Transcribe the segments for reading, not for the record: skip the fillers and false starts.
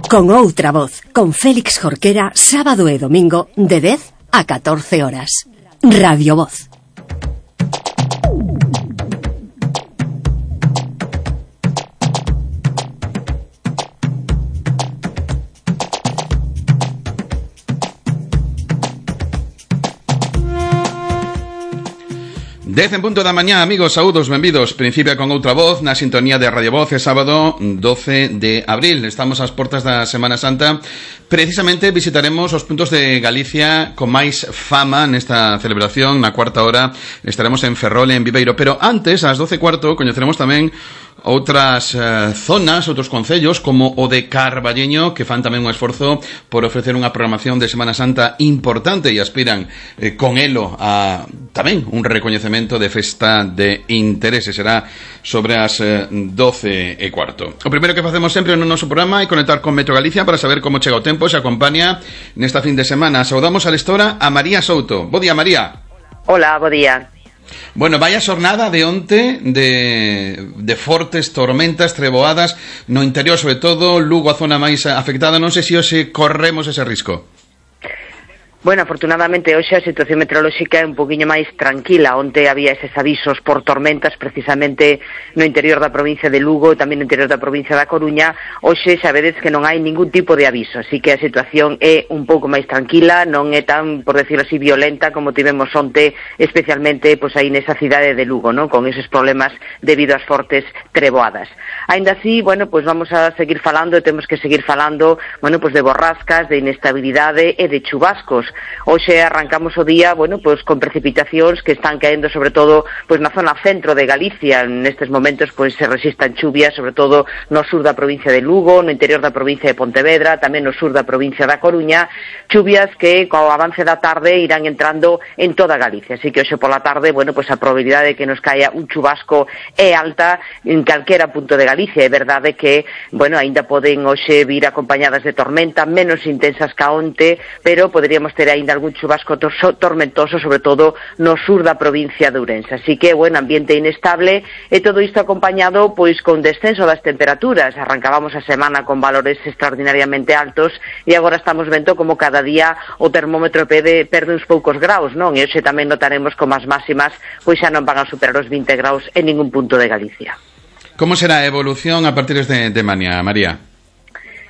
Con outra voz, con Félix Jorquera, sábado e domingo, de 10 a 14 horas. Radio Voz. Dez en punto da mañá, amigos, saúdos, benvidos. Principia con outra voz na sintonía de Radio Voz. É sábado 12 de abril. Estamos ás portas da Semana Santa. Precisamente visitaremos os puntos de Galicia con máis fama nesta celebración. Na cuarta hora estaremos en Ferrol, en Viveiro. Pero antes, ás 12:15, coñeceremos tamén outras zonas, outros concellos, como o de Carballeño, que fan tamén un esforzo por ofrecer unha programación de Semana Santa importante e aspiran con elo a tamén un recoñecemento de festa de interese. Será sobre as 12:15. O primeiro que facemos sempre no noso programa é conectar con Metro Galicia para saber como chega o tempo, se acompaña nesta fin de semana. Saudamos a lestora a María Souto. Bo día, María. Hola, bo día. Bueno, vaya xornada de onte de fortes tormentas, treboadas no interior, sobre todo Lugo, a zona máis afectada. Non sei se hoxe corremos ese risco. Bueno, afortunadamente hoxe a situación meteorolóxica é un poquinho máis tranquila. Onte había eses avisos por tormentas precisamente no interior da provincia de Lugo e tamén no interior da provincia da Coruña. Hoxe xa vedes que non hai ningún tipo de aviso, así que a situación é un pouco máis tranquila, non é tan, por decirlo así, violenta como tivemos onte, especialmente pois aí nesa cidade de Lugo, non? Con eses problemas debido ás fortes treboadas. Aínda así, bueno, pois vamos a seguir falando e temos que seguir falando, bueno, pois de borrascas, de inestabilidade e de chubascos. Hoxe arrancamos o día, bueno, pois con precipitacións que están caendo sobre todo pois na zona centro de Galicia. Nestes momentos pois se resistan chuvias, sobre todo no sur da provincia de Lugo, no interior da provincia de Pontevedra, tamén no sur da provincia da Coruña, chuvias que co avance da tarde irán entrando en toda Galicia. Así que hoxe pola tarde, bueno, pois a probabilidade de que nos caia un chubasco é alta en calquera punto de Galicia. É verdade que, bueno, aínda poden hoxe vir acompañadas de tormenta, menos intensas que onte, pero poderíamos ter aínda algún chubasco tormentoso, sobre todo no sur da provincia de Ourense. Así que, bueno, ambiente inestable e todo isto acompañado pois con descenso das temperaturas. Arrancábamos a semana con valores extraordinariamente altos e agora estamos vendo como cada día o termómetro perde uns poucos graus, non? E hoxe tamén notaremos como as máximas pois xa non van a superar os 20 graus en ningún punto de Galicia. Como será a evolución a partir de mañá, María?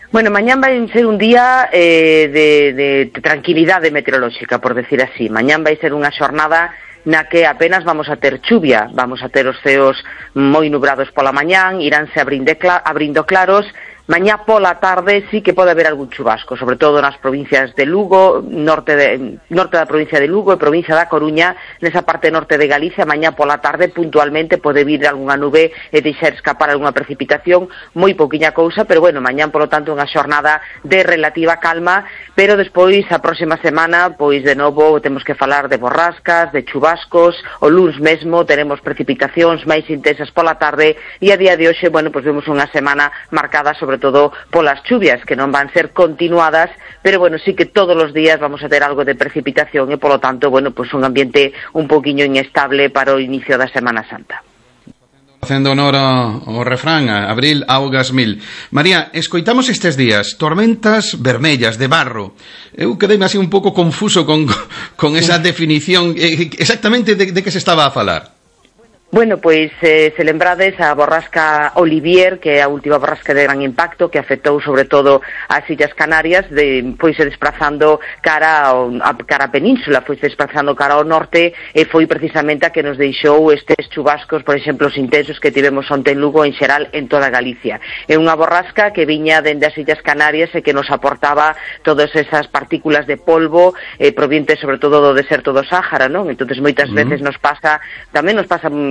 Bueno, mañán vai ser un día de tranquilidade meteorolóxica, por decir así. Mañán vai ser unha xornada na que apenas vamos a ter chuvia, vamos a ter os ceos moi nubrados pola mañán, iránse abrindo claros. Mañá pola tarde sí que pode haber algún chubasco, sobre todo nas provincias de Lugo, norte da provincia de Lugo e provincia da Coruña, nesa parte norte de Galicia. Mañá pola tarde puntualmente pode vir algunha nube e deixar escapar algunha precipitación, moi pouquiña cousa, pero bueno, mañán polo tanto unha xornada de relativa calma, pero despois a próxima semana, pois de novo temos que falar de borrascas, de chubascos. O luns mesmo teremos precipitacións máis intensas pola tarde e a día de hoxe, bueno, pois vemos unha semana marcada sobre todo polas chuvias, que non van ser continuadas, pero bueno, sí que todos os días vamos a ter algo de precipitación e polo tanto, bueno, pues un ambiente un poquinho inestable para o inicio da Semana Santa. Facendo honor ao refrán, abril, augas mil. María, escoitamos estes días tormentas vermellas de barro. Eu quedei así un pouco confuso con esa definición. Exactamente de que se estaba a falar? Bueno, pois se lembrades a borrasca Olivier, que é a última borrasca de gran impacto que afectou sobre todo as Illas Canarias, foise desplazando cara a península, foise desplazando cara ao norte e foi precisamente a que nos deixou estes chubascos, por exemplo, os intensos que tivemos onte en Lugo, en xeral en toda Galicia. É unha borrasca que viña dende as Illas Canarias e que nos aportaba todas esas partículas de polvo provientes sobre todo do deserto do Sáhara, non? Entonces moitas veces nos pasa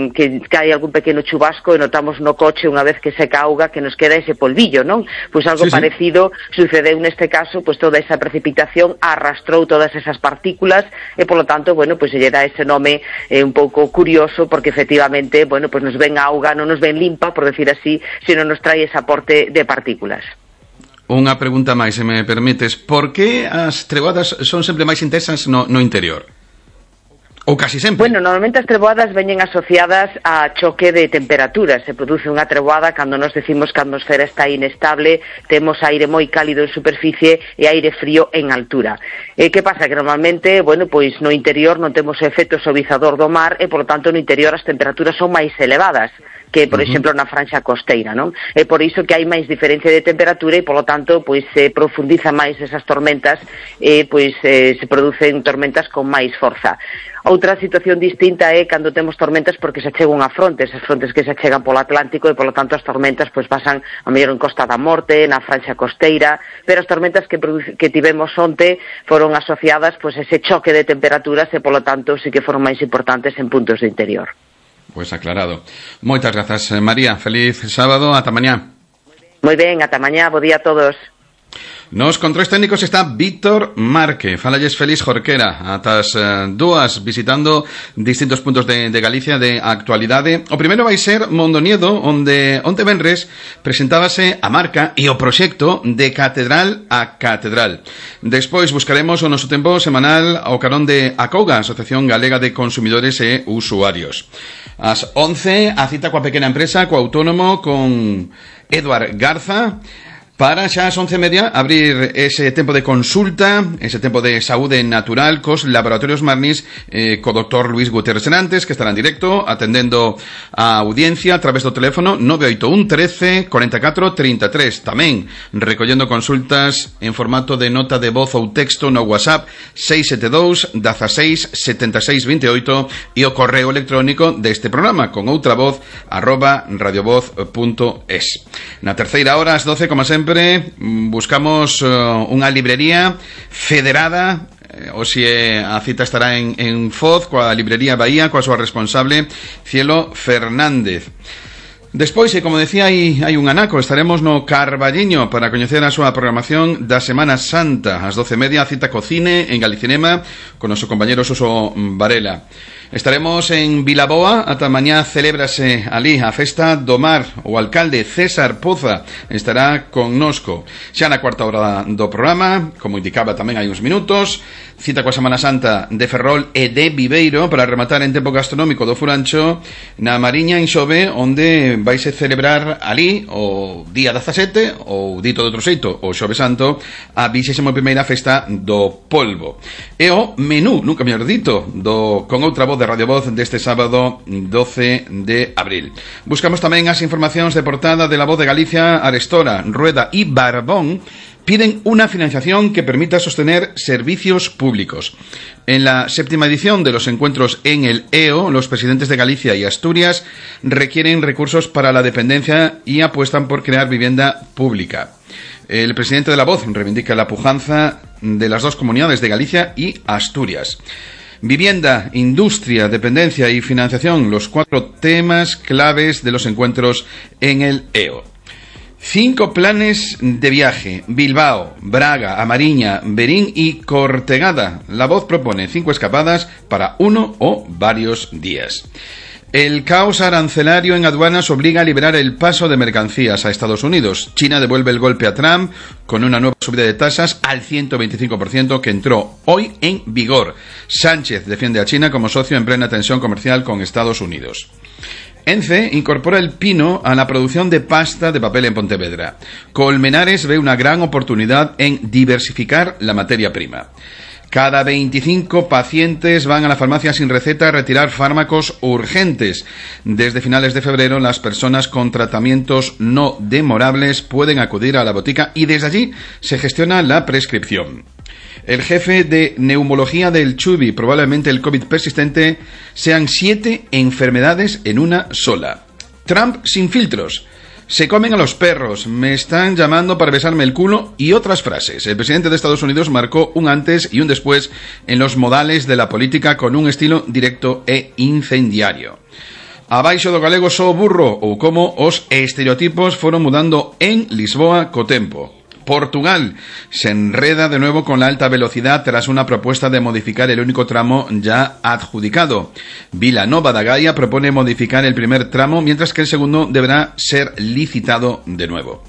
que cae algún pequeno chubasco e notamos no coche unha vez que seca a auga que nos queda ese polvillo, non? Pois algo parecido sucedeu neste caso, pois toda esa precipitación arrastrou todas esas partículas e polo tanto, bueno, pois se lle dá ese nome un pouco curioso porque efectivamente, bueno, pois nos ven a auga, non nos ven limpa, por decir así, sino nos trae ese aporte de partículas. Unha pregunta máis, se me permites. Por que as treboadas son sempre máis intensas no interior? Ou casi sempre? Bueno, normalmente as treboadas veñen asociadas a choque de temperaturas. Se produce unha treboada cando nos decimos que a atmosfera está inestable, temos aire moi cálido en superficie e aire frío en altura. Que pasa? Que normalmente, bueno, pois no interior non temos o efecto suavizador do mar e, por lo tanto, no interior as temperaturas son máis elevadas que, por exemplo, na franxa costeira, non? É por iso que hai máis diferencia de temperatura e, polo tanto, pois se profundiza máis esas tormentas e, pois, se producen tormentas con máis forza. Outra situación distinta é cando temos tormentas porque se achega unha fronte, esas frontes que se achegan polo Atlántico e, polo tanto, as tormentas pois pasan a mellor en Costa da Morte, na franxa costeira, pero as tormentas que tivemos onte foron asociadas pois a ese choque de temperaturas e, polo tanto, sí que foron máis importantes en puntos do interior. Pois aclarado. Moitas grazas, María. Feliz sábado. Ata mañá. Moi ben, ata mañá. Bo día a todos. Nos controis técnicos está Víctor Marque. Falalles Félix Jorquera. Atas dúas visitando distintos puntos de Galicia de actualidade. O primeiro vai ser Mondoñedo, onde onte venres presentábase a marca e o proxecto de Catedral a Catedral. Despois buscaremos o noso tempo semanal ao carón de ACOGA, Asociación Galega de Consumidores e Usuarios. Ás 11, a cita coa pequena empresa, co autónomo, con Eduard Garza, para xa ás 11:30 abrir ese tempo de consulta, ese tempo de saúde natural cos laboratorios Marnis, co doctor Luis Gutiérrez Serantes, que estará en directo atendendo a audiencia a través do teléfono 981 13 44 33. Tamén recollendo consultas en formato de nota de voz ou texto no WhatsApp 672 16 76 28 e o correo electrónico deste programa con outra voz @radiovoz.es. Na terceira hora, ás 12, como sempre, buscamos unha librería federada. Hoxe a cita estará en Foz coa librería Bahía, coa súa responsable Cielo Fernández. Despois, e como decía, hai un anaco. Estaremos no Carballiño para coñecer a súa programación da Semana Santa. Ás 12:30, a cita co cine en Galicinema con noso compañero Suso Varela. Estaremos en Vilaboa, ata mañá celébrase ali a Festa do Mar. O alcalde César Poza estará connosco. Xa na cuarta hora do programa, como indicaba tamén hai uns minutos, cita coa Semana Santa de Ferrol e de Viveiro para rematar en tempo gastronómico do Furancho na Mariña en Xove, onde vaise celebrar ali o día 17, ou dito de outro xeito, o Xove Santo, a 21ª Festa do Polvo. E o menú, nunca mellor dito, con outra voz de Radio Voz deste sábado 12 de abril. Buscamos tamén as informacións de portada de La Voz de Galicia. Arestora, Rueda y Barbón piden una financiación que permita sostener servicios públicos. En la 7ª edición de los encuentros en el EO, los presidentes de Galicia y Asturias requieren recursos para la dependencia y apuestan por crear vivienda pública. El presidente de La Voz reivindica la pujanza de las dos comunidades de Galicia y Asturias. Vivienda, industria, dependencia y financiación, los 4 temas claves de los encuentros en el EO. 5 planes de viaje: Bilbao, Braga, A Mariña, Verín y Cortegada. La Voz propone 5 escapadas para 1 o varios días. El caos arancelario en aduanas obliga a liberar el paso de mercancías a Estados Unidos. China devuelve el golpe a Trump con una nueva subida de tasas al 125% que entró hoy en vigor. Sánchez defiende a China como socio en plena tensión comercial con Estados Unidos. ENCE incorpora el pino a la producción de pasta de papel en Pontevedra. Colmenares ve una gran oportunidad en diversificar la materia prima. Cada 25 pacientes van a la farmacia sin receta a retirar fármacos urgentes. Desde finales de febrero, las personas con tratamientos no demorables pueden acudir a la botica y desde allí se gestiona la prescripción. El jefe de neumología del Chubi, probablemente el COVID persistente, sean 7 enfermedades en una sola. Trump sin filtros. Se comen a los perros, me están llamando para besarme el culo y otras frases. El presidente de Estados Unidos marcó un antes y un después en los modales de la política con un estilo directo e incendiario. Abaixo do galego só burro, ou como os estereotipos foron mudando en Lisboa co tempo. Portugal se enreda de nuevo con la alta velocidad tras una propuesta de modificar el único tramo ya adjudicado. Vilanova da Gaia propone modificar el primer tramo, mientras que el segundo deberá ser licitado de nuevo.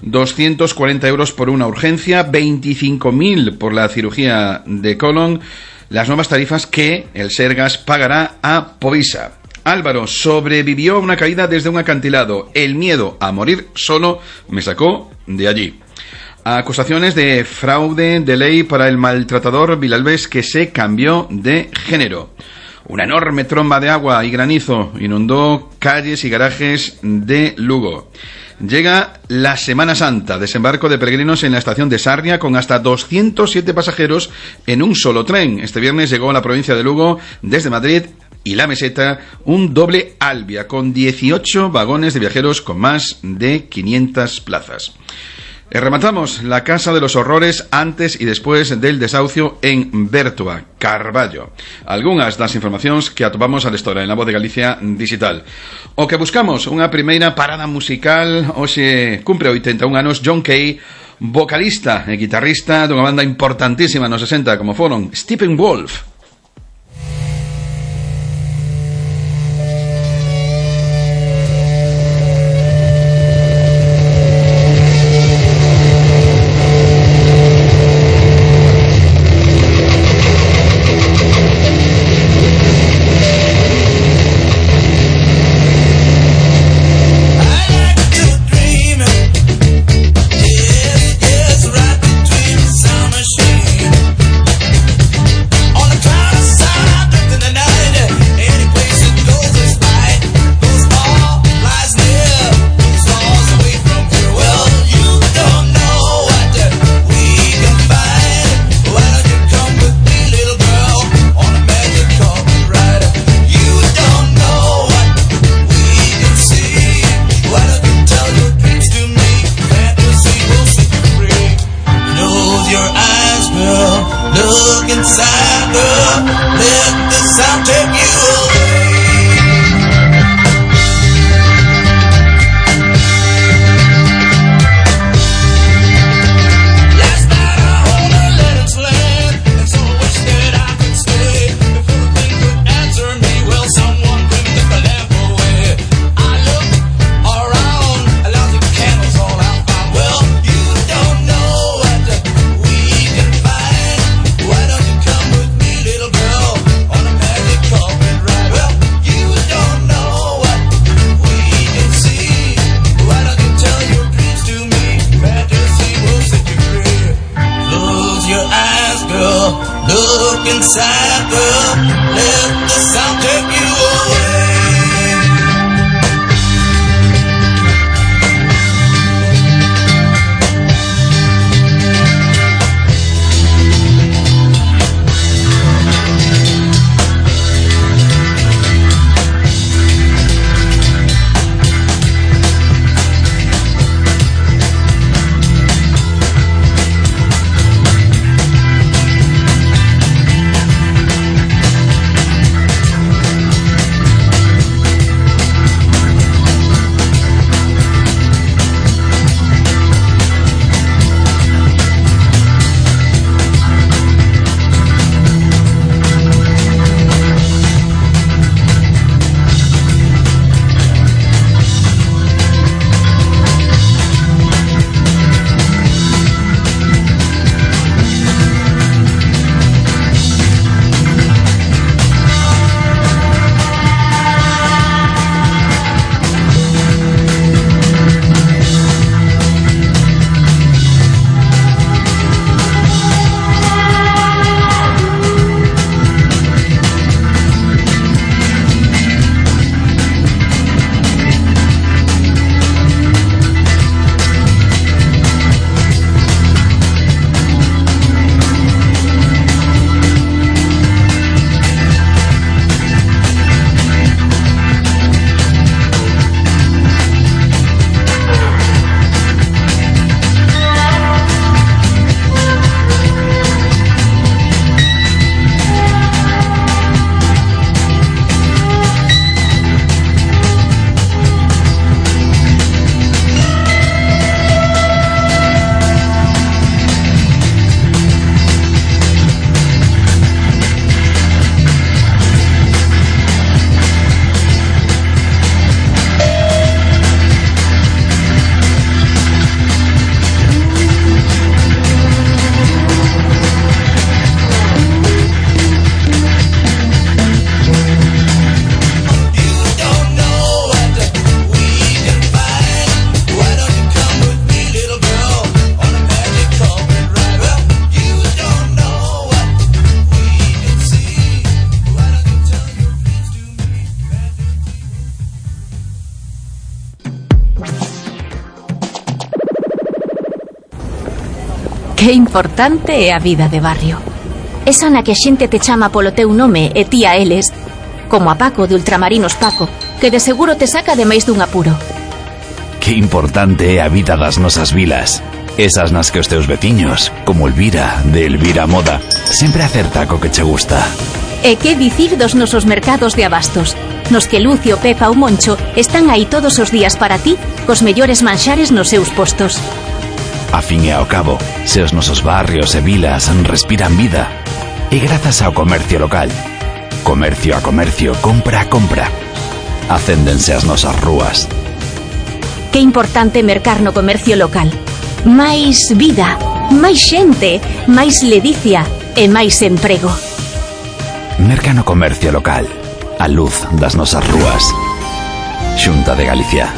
240 euros por una urgencia, 25.000 por la cirugía de colon. las nuevas tarifas que el Sergas pagará a Povisa. Álvaro sobrevivió a una caída desde un acantilado. El miedo a morir solo me sacó de allí. Acusaciones de fraude de ley para el maltratador Vilalbés, que se cambió de género. Una enorme tromba de agua y granizo inundó calles y garajes de Lugo. Llega la Semana Santa, desembarco de peregrinos en la estación de Sarria con hasta 207 pasajeros en un solo tren. Este viernes llegó a la provincia de Lugo desde Madrid y la Meseta un doble Albia con 18 vagones de viajeros con más de 500 plazas. Rematamos la Casa de los Horrores antes y después del desahucio en Bertua, Carballo. Algunhas das informacións que atopamos a história en La Voz de Galicia digital. O que buscamos unha primeira parada musical. Hoxe cumpre 81 anos John Kay, vocalista e guitarrista dunha banda importantísima nos 60 como foron Steppenwolf. Que importante é a vida de barrio. Esa na que a xente te chama polo teu nome e ti a eles, como a Paco de Ultramarinos Paco, que de seguro te saca de máis dun apuro. Que importante é a vida das nosas vilas. Esas nas que os teus veciños, como Elvira, de Elvira Moda, sempre acerta co que che gusta. E que dicir dos nosos mercados de abastos, nos que Lucio, Pepa ou Moncho están aí todos os días para ti, cos mellores manxares nos seus postos. A fin e ao cabo, se os nosos barrios e vilas respiran vida, e grazas ao comercio local. Comercio a comercio, compra a compra. Acéndense as nosas rúas. Que importante mercar no comercio local. Máis vida, máis xente, máis ledicia e máis emprego. Merca no comercio local. A luz das nosas rúas. Xunta de Galicia.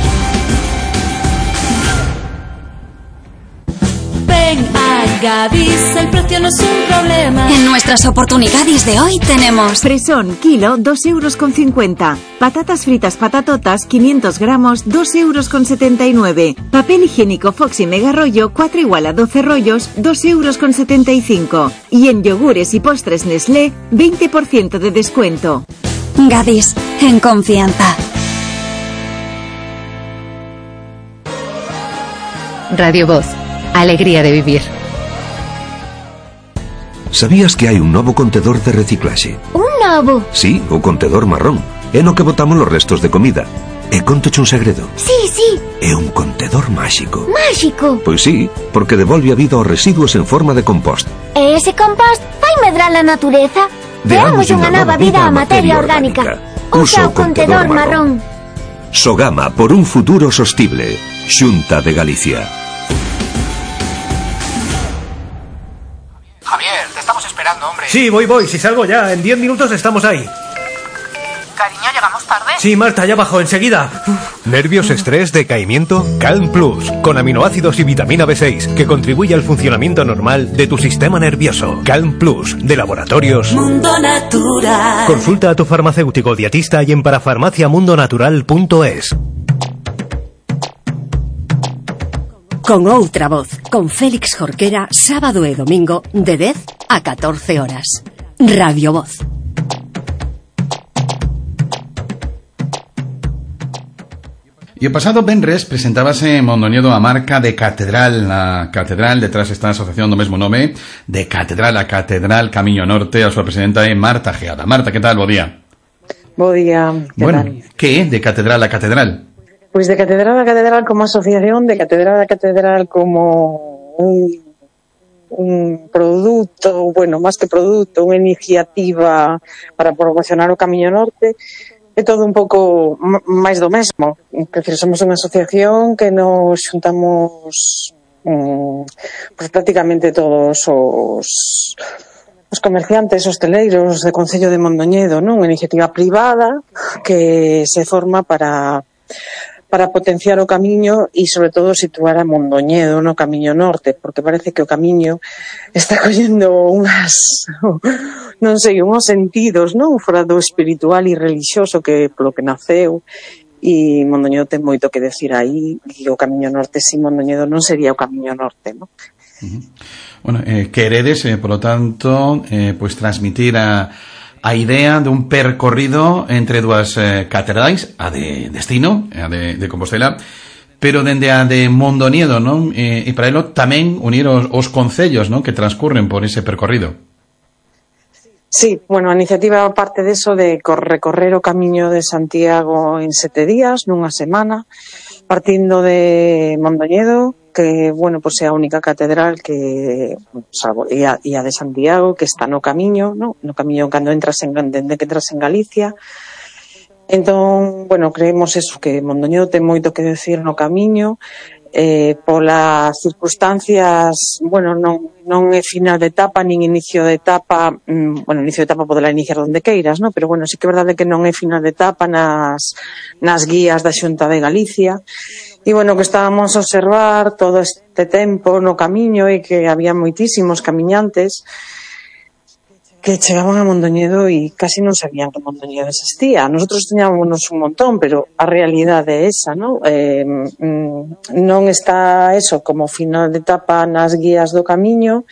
Ven a Gadis, el precio no es un problema. En nuestras oportunidades de hoy tenemos fresón, kilo, 2,50 €. Patatas fritas patatotas, 500 gramos, 2,79 €. Papel higiénico Foxy Mega Rollo, 4 igual a 12 rollos, 2,75 €. Y en yogures y postres Nestlé, 20% de descuento. Gadis, en confianza. Radio Voz, alegría de vivir. Sabías que hai un novo contedor de reciclaxe? Un novo? Sí, o contedor marrón. É no que botamos os restos de comida. E contoche un segredo. Sí. É un contedor máxico. Máxico? Pois sí, porque devolve a vida aos residuos en forma de compost. E ese compost vai medrar a natureza? Deamos unha nova vida á materia orgánica. Usa o contedor marrón. Sogama por un futuro sostible. Xunta de Galicia. Javier, te estamos esperando, hombre. Sí, voy, si salgo ya, en 10 minutos estamos ahí. Cariño, ¿llegamos tarde? Sí, Marta, ya bajo, enseguida. ¿Nervios, estrés, decaimiento? Calm Plus, con aminoácidos y vitamina B6, que contribuye al funcionamiento normal de tu sistema nervioso. Calm Plus, de Laboratorios Mundo Natural. Consulta a tu farmacéutico dietista y en parafarmaciamundonatural.es. Con outra voz, con Félix Jorquera, sábado e domingo, de 10 a 14 horas. Radio Voz. E o pasado venres presentábase en Mondoñedo a marca de Catedral. A Catedral, detrás está a asociación do mesmo nome, de Catedral a Catedral Camiño Norte. A súa presidenta é Marta Geada. Marta, que tal? Bo día. Bo día. Bueno, que é de Catedral a Catedral? Pois de Catedral a Catedral como asociación, de Catedral a Catedral como un produto, bueno, máis que produto, unha iniciativa para promocionar o Camiño Norte, é todo un pouco máis do mesmo. Decir, somos unha asociación que nos xuntamos pues prácticamente todos os comerciantes hosteleiros do Concello de Mondoñedo, non? Unha iniciativa privada que se forma para potenciar o camiño e, sobre todo, situar a Mondoñedo no Camiño Norte, porque parece que o camiño está collendo unhos sentidos, non? Fora do espiritual e religioso que polo que naceu, e Mondoñedo ten moito que decir aí, e o Camiño Norte sin Mondoñedo non sería o Camiño Norte, non? Bueno, queredes, polo tanto, pues transmitir a idea de un percorrido entre dúas catedrais, a de Destino, a de Compostela, pero dende a de Mondoñedo, non? E para elo tamén unir os concellos, non? Que transcurren por ese percorrido. Sí, bueno, a iniciativa parte deso de recorrer o Camiño de Santiago en 7 días, nunha semana, partindo de Mondoñedo, que, bueno, pues é a única catedral que, salvo, e a de Santiago, que está no camiño, no camiño cando dende que entras en Galicia. Entón, bueno, creemos eso, que Mondoñedo ten moito que decir no camiño, polas circunstancias, bueno, non é final de etapa, nin inicio de etapa, bueno, inicio de etapa poderá iniciar onde queiras, no? Pero, bueno, sí que é verdade que non é final de etapa nas guías da Xunta de Galicia. E, bueno, que estábamos a observar todo este tempo no camiño e que había moitísimos camiñantes que chegaban a Mondoñedo e casi non sabían que Mondoñedo existía. Nosotros teñámonos un montón, pero a realidade é esa, non? Non está eso como final de etapa nas guías do camiño,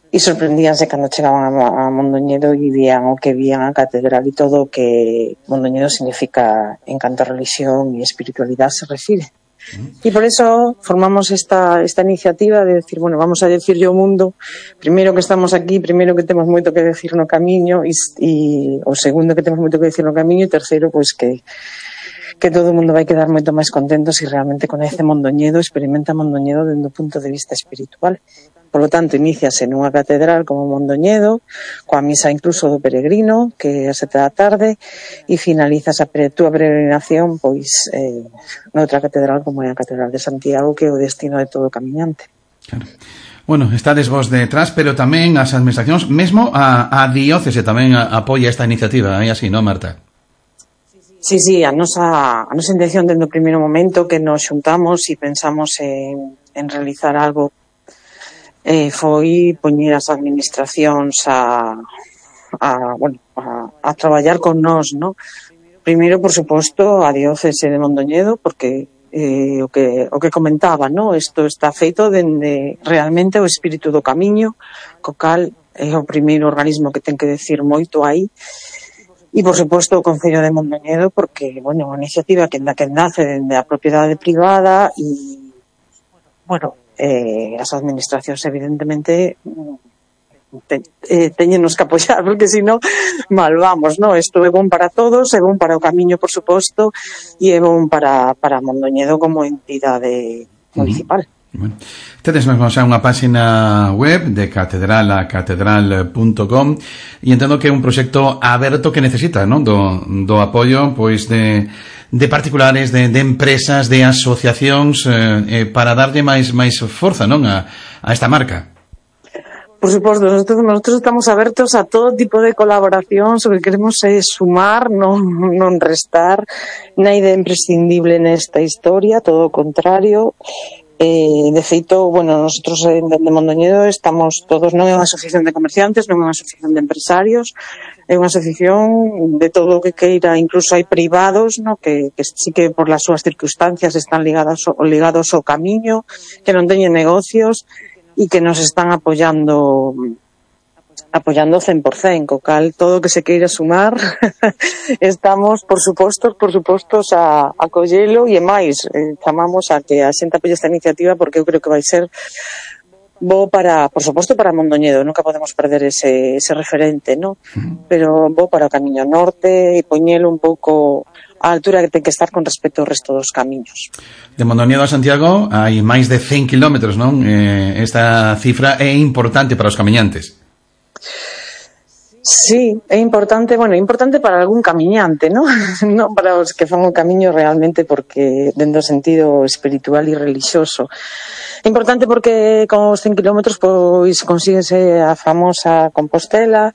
e sorprendíanse cando chegaban a Mondoñedo e vían o que vían a catedral e todo o que Mondoñedo significa en canto a religión e espiritualidade se refire. E por eso formamos esta iniciativa de decir, bueno, vamos a decirlle ao mundo, primeiro que estamos aquí, primeiro que temos moito que decir no camiño, e o segundo que temos moito que decir no camiño, e terceiro, pois que todo o mundo vai quedar moito máis contento se realmente coñece Mondoñedo, experimenta Mondoñedo dende o punto de vista espiritual. Por lo tanto, iníciase nunha catedral como Mondoñedo, coa misa incluso do peregrino, que é a 7 da tarde, e finalizas a túa peregrinación pois noutra catedral como é a Catedral de Santiago, que é o destino de todo camiñante. Claro. Bueno, estades vos detrás, pero tamén as administracións, mesmo a diócese tamén apoia esta iniciativa, é así, non, Marta? Sí, a nosa intención dende o primeiro momento que nos xuntamos e pensamos en realizar algo foi poñer as administracións a traballar con nós, ¿no? Primeiro, por suposto, a diócese de Mondoñedo, porque o que comentaba, ¿no? Isto está feito dende realmente o espírito do camiño, co cal é o primeiro organismo que ten que decir moito aí. E, por suposto, o Concello de Mondoñedo, porque, bueno, unha iniciativa que nace dende a propiedade privada e, bueno, as administracións evidentemente teñenos que apoiar, porque senón mal vamos, non? Isto é bon para todos, é bon para o camiño, por suposto, e é bon para Mondoñedo como entidade municipal. Bueno, tedes mesmo xa unha página web de catedral a catedral.com e entendo que é un proxecto aberto que necesita, non? Do apoio, pois, de particulares, de empresas, de asociacións, para darlle máis forza, non? A esta marca. Por suposto, nosotros estamos abertos a todo tipo de colaboración, o que queremos é sumar, non restar, naide imprescindible nesta historia, todo o contrario. De feito, bueno, nosotros dende Mondoñedo estamos todos, non é unha asociación de comerciantes, non é unha asociación de empresarios, é unha asociación de todo o que queira, incluso hai privados, no, que sí que por las súas circunstancias están ligados ao camiño, que non teñen negocios e que nos están apoiando 100%, co cal todo o que se queira sumar estamos, por suposto a collelo e máis, chamamos a que a xente apoie esta iniciativa porque eu creo que vai ser bo para, por suposto, para Mondoñedo, nunca podemos perder ese referente, ¿no? Pero bo para o Camiño Norte e poñelo un pouco a altura que ten que estar con respecto ao resto dos camiños. De Mondoñedo a Santiago hai máis de 100 kilómetros, non? Esta cifra é importante para os camiñantes. Sí, é importante, bueno, importante para algún camiñante, ¿no? Non para os que fan o camiño realmente porque dentro do sentido espiritual e religioso. É importante porque con os 100 kilómetros pois consíguese a famosa Compostela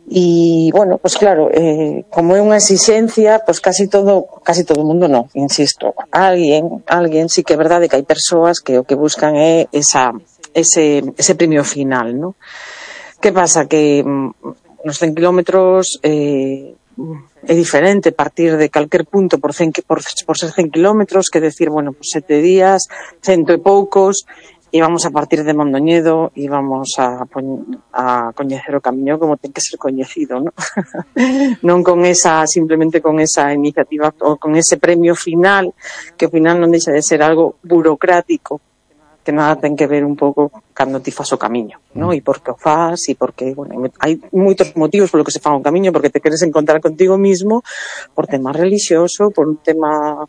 e, bueno, pois claro, como é unha exixencia, pois casi todo o mundo non, insisto. Alguén sí que é verdade que hai persoas que o que buscan é ese premio final, ¿no? Que pasa? Que nos 100 kilómetros é diferente partir de calquer punto por ser 100 kilómetros, que decir, bueno, pues 7 días, 100 e poucos, e vamos a partir de Mondoñedo e vamos a coñecer o camiño como ten que ser coñecido, ¿no? Non simplemente con esa iniciativa ou con ese premio final, que ao final non deixa de ser algo burocrático, que nada ten que ver un pouco cando ti fas o camiño, ¿no? E por que o fas, e porque, bueno, hai moitos motivos polo que se fan o camiño, porque te queres encontrar contigo mismo, por tema religioso, por un tema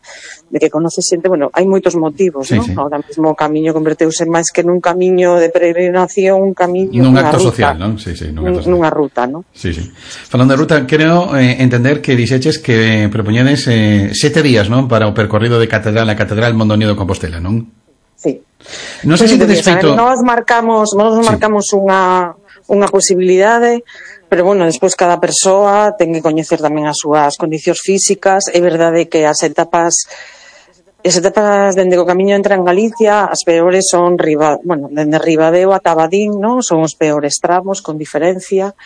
de que conoces xente, bueno, hai moitos motivos, ¿no? Sí. Ahora mesmo o camiño converteuse máis que nun camiño de peregrinación, un camiño, nun acto social, non? Sí, nunha ruta, non? Sí. Falando de ruta, creo entender que dixeches que propoñedes 7 días, non? Para o percorrido de catedral a catedral Mondoñedo de Compostela, non? Sí. Non sei se tedes feito... Nós marcamos unha posibilidade, pero, bueno, despois cada persoa ten que coñecer tamén as súas condicións físicas. É verdade que as etapas as etapas dende o camiño entra en Galicia, as peores son dende Ribadeo ata Abadín, non? Son os peores tramos, con diferencia.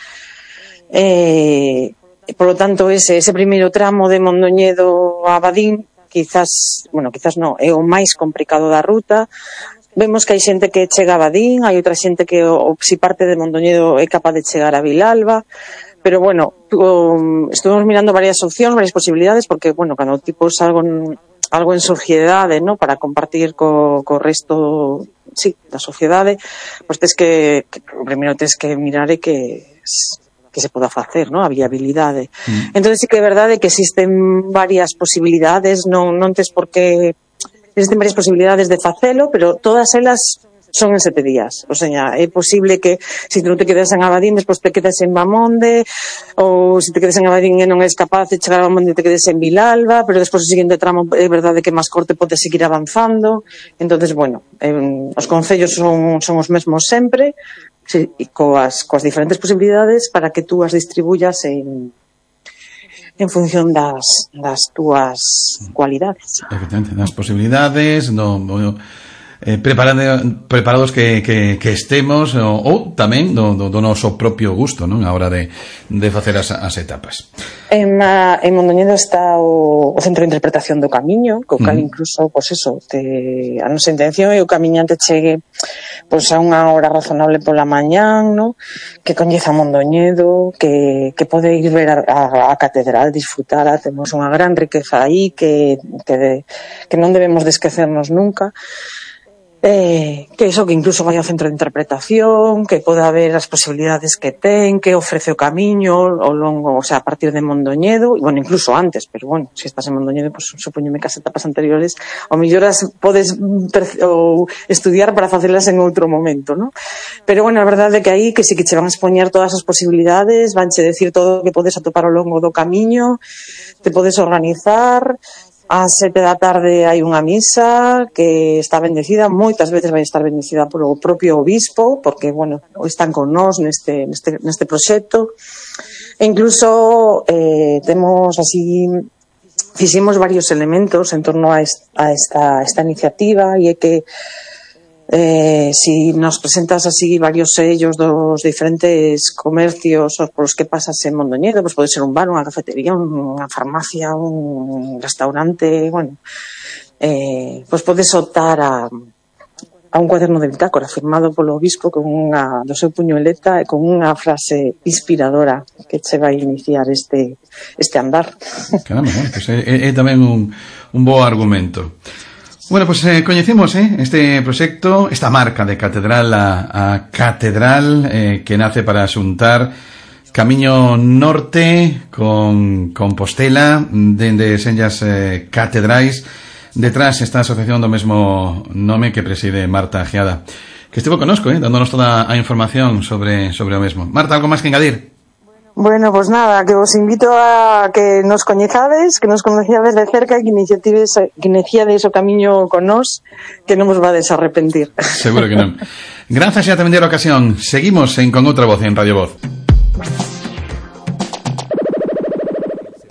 Por lo tanto, ese primeiro tramo de Mondoñedo a Abadín, quizás non, é o máis complicado da ruta. Vemos que hai xente que chega a Abadín, hai outra xente que, se parte de Mondoñedo, é capaz de chegar a Vilalba, pero estuvimos mirando varias opcións, varias posibilidades, porque, cando tipo algo en sociedade, ¿no? Para compartir co resto, da sociedade, pois primeiro tes que mirar que se poda facer, ¿no? A viabilidade. Entonces sí que é verdade que existen varias posibilidades, non tes por que existen varias posibilidades de facelo, pero todas elas son en 7 días. O sea, é posible que se non te quedas en Abadín, despois te quedas en Mamonde, ou se te quedas en Abadín e non és capaz de chegar a Mamonde, te quedes en Vilalba, pero despois o seguinte tramo é verdade que máis corte pode seguir avanzando. Entonces, os concellos son os mesmos sempre, e coas diferentes posibilidades para que tú as distribuyas en función das túas cualidades. Efectivamente, das posibilidades, preparados que estemos ou tamén do noso propio gusto, non? A hora de facer as etapas. En Mondoñedo está o Centro de Interpretación do Camiño, co cal incluso, a nosa intención é o camiñante chegue a unha hora razonable pola mañán, no? Que coñeza Mondoñedo, que pode ir ver a catedral, disfrutala. Temos unha gran riqueza aí que non debemos de esquecernos nunca. Que incluso vai ao centro de interpretación, que pode haber as posibilidades que ten, que ofrece o camiño ao longo, a partir de Mondoñedo, e incluso antes, pero se estás en Mondoñedo, supóñome que as etapas anteriores ao mellor as podes estudiar para facelas en outro momento, non? Pero a verdade é que aí que sí que che van a expoñer todas as posibilidades, vanche decir todo o que podes atopar ao longo do camiño, te podes organizar. Ás 7 da tarde hai unha misa que está bendecida, moitas veces vai estar bendecida polo propio obispo, porque, están con nós neste proxecto. E incluso fixemos varios elementos en torno a esta iniciativa, e é que si nos presentas así varios sellos dos diferentes comercios polos que pasas en Mondoñedo, pode ser un bar, unha cafetería, unha farmacia, un restaurante, podes optar a un cuaderno de bitácora firmado polo obispo do seu puñoleta e con unha frase inspiradora que che vai iniciar este andar. Caramba, é tamén un bo argumento. Coñecemos este proxecto, esta marca de catedral a catedral, que nace para xuntar Camiño Norte con Compostela, dende senllas catedrais. Detrás está a asociación do mesmo nome que preside Marta Ajeada, que estivo connosco, dándonos toda a información sobre o mesmo. Marta, algo máis que engadir? Nada, que vos invito a que nos coñezades, que nos conociades de cerca e que iniciades o camiño con nós, que non vos vades a arrepentir. Seguro que non. Grazas e a tamén a ocasión. Seguimos con outra voz en Radio Voz.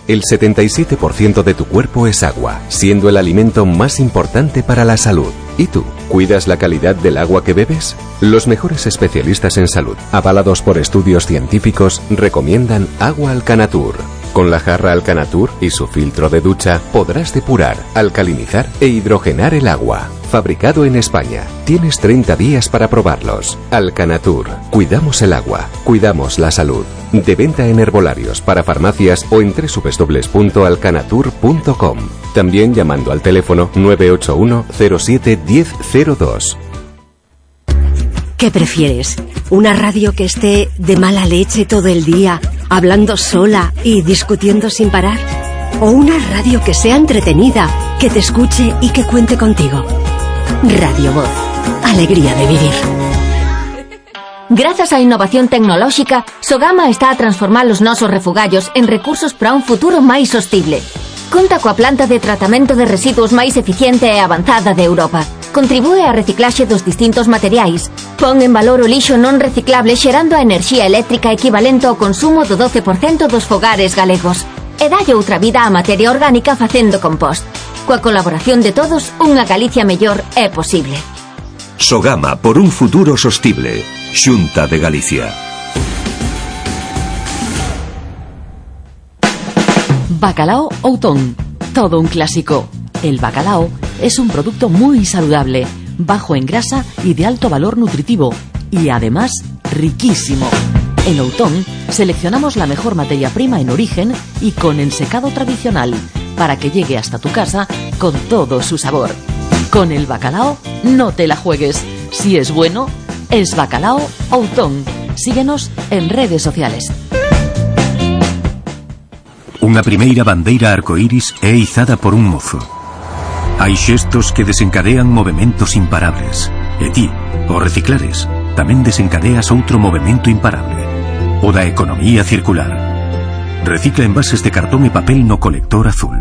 El 77% de tu cuerpo es agua, siendo el alimento más importante para la salud. ¿Y tú? ¿Cuidas la calidad del agua que bebes? Los mejores especialistas en salud, avalados por estudios científicos, recomiendan Agua Alcanatur. Con la jarra Alcanatur y su filtro de ducha podrás depurar, alcalinizar e hidrogenar el agua. Fabricado en España. Tienes 30 días para probarlos. Alcanatur. Cuidamos el agua. Cuidamos la salud. De venta en herbolarios, para farmacias o en www.alcanatur.com. También llamando al teléfono 981 07 1002. ¿Qué prefieres? ¿Una radio que esté de mala leche todo el día, hablando sola y discutiendo sin parar? ¿O una radio que sea entretenida, que te escuche y que cuente contigo? Radio Voz. Alegría de vivir. Grazas á innovación tecnolóxica, Sogama está a transformar os nosos refugallos en recursos para un futuro máis sostible. Conta coa planta de tratamento de residuos máis eficiente e avanzada de Europa. Contribúe á reciclaxe dos distintos materiais. Pon en valor o lixo non reciclable xerando a enerxía eléctrica equivalente ao consumo do 12% dos fogares galegos. E dalle outra vida á materia orgánica facendo compost. Coa colaboración de todos, unha Galicia mellor é posible. Sogama por un futuro sostible. Xunta de Galicia. Bacalao Outón. Todo un clásico. El bacalao es un producto muy saludable, bajo en grasa y de alto valor nutritivo, y además riquísimo. En Outón seleccionamos la mejor materia prima en origen y con ensecado tradicional, para que llegue hasta tu casa con todo su sabor. Con el bacalao no te la juegues. Si es bueno, es Bacalao Outón. Síguenos en redes sociales. Unha primeira bandeira arcoíris é izada por un mozo. Hai xestos que desencadean movementos imparables. E ti, ao reciclares, tamén desencadeas outro movemento imparable. O da economía circular. Recicla envases de cartón e papel no colector azul.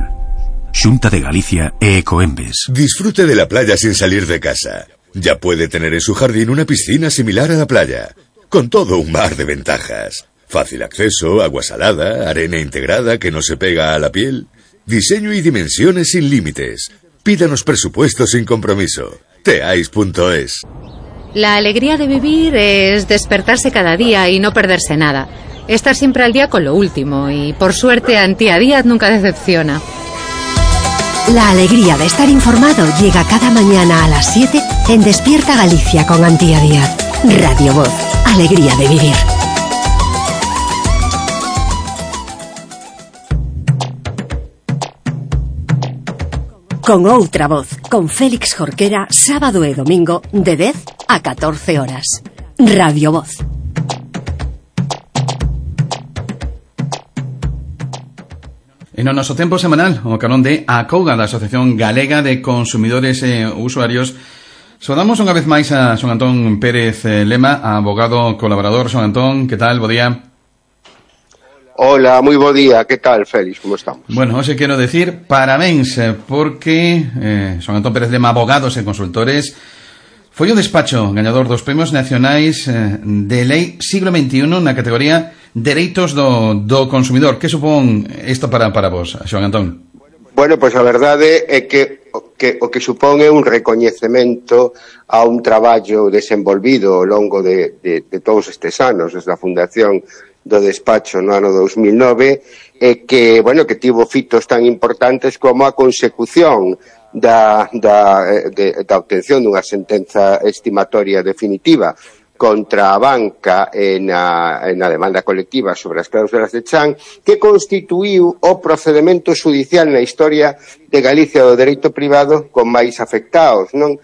Xunta de Galicia e Ecoembes. Disfrute de la playa sin salir de casa. Ya puede tener en su jardín una piscina similar a la playa, con todo un mar de ventajas. Fácil acceso, agua salada, arena integrada que no se pega a la piel. Diseño y dimensiones sin límites. Pídanos presupuesto sin compromiso. Teais.es. La alegría de vivir es despertarse cada día y no perderse nada. Estar siempre al día con lo último y, por suerte, Antía Díaz nunca decepciona. La alegría de estar informado llega cada mañana a las 7 en Despierta Galicia con Antía Díaz. Radio Voz. Alegría de vivir. Con outra voz, con Félix Jorquera, sábado e domingo, de 10 a 14 horas. Radio Voz. En o noso tempo semanal, o carón de ACOGA, da Asociación Galega de Consumidores e Usuarios, saudamos unha vez máis a Xoán Antón Pérez Lema, abogado colaborador. Xoán Antón, que tal? Bo día. Hola, moi bo día, que tal, Félix, como estamos? Bueno, hoxe quero decir parabéns, porque Xoán Antón Pérez Lema, abogados e consultores, foi o despacho gañador dos premios nacionais de lei siglo XXI na categoría Dereitos do consumidor. Que supón isto para vos, Xoán Antón? Bueno, pois a verdade é que o que supón é un recoñecemento a un traballo desenvolvido ao longo de todos estes anos, desde a fundación do despacho no ano 2009, e que, bueno, que tivo fitos tan importantes como a consecución da obtención dunha sentenza estimatoria definitiva contra a banca na demanda colectiva sobre as cláusulas de chan, que constituíu o procedemento xudicial na historia de Galicia do dereito privado con máis afectados, non?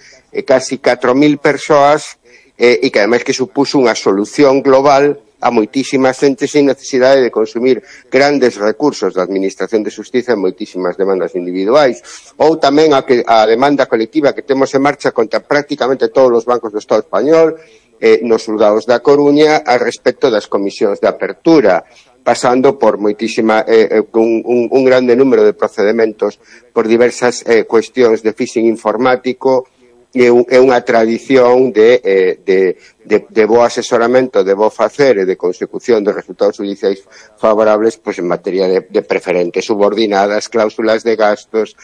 Casi 4.000 persoas, e que ademais que supuso unha solución global a moitísimas xentes sin necesidade de consumir grandes recursos da Administración de Xustiza en moitísimas demandas individuais, ou tamén a demanda colectiva que temos en marcha contra prácticamente todos os bancos do Estado español, nos xulgados da Coruña, a respecto das comisións de apertura, pasando por moitísima un grande número de procedementos por diversas cuestións de phishing informático, é unha tradición de bo asesoramento, de bo facer e de consecución de resultados judiciais favorables, pois en materia de preferentes subordinadas, cláusulas de gastos,